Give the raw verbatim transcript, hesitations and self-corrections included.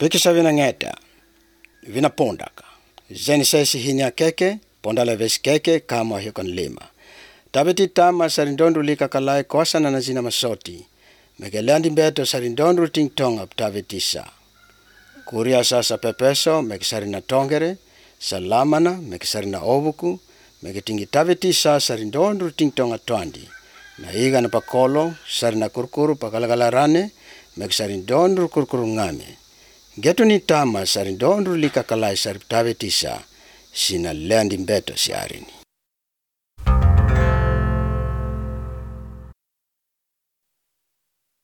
Pikisa vina ngeta, vina pondaka. Zeni sesi hinya keke, pondala vesi keke kama hiukan lima. Tabeti tama sarindondu lika kalai kosa na nazina masoti. Megeleandi beto sarindondu ting tonga tabetisa. Kuria sasa pepeso, megisarina tongere, salamana, megisarina obuku, megitingi tabetisa sarindondu ting tonga twandi. Na iga na pakolo, sarina kurkuru pakalagalarane, megisarindondu kurkuru ngame. Getu ni tama sarindondu lika kalai sariptabetisa sina leandi beto si arini.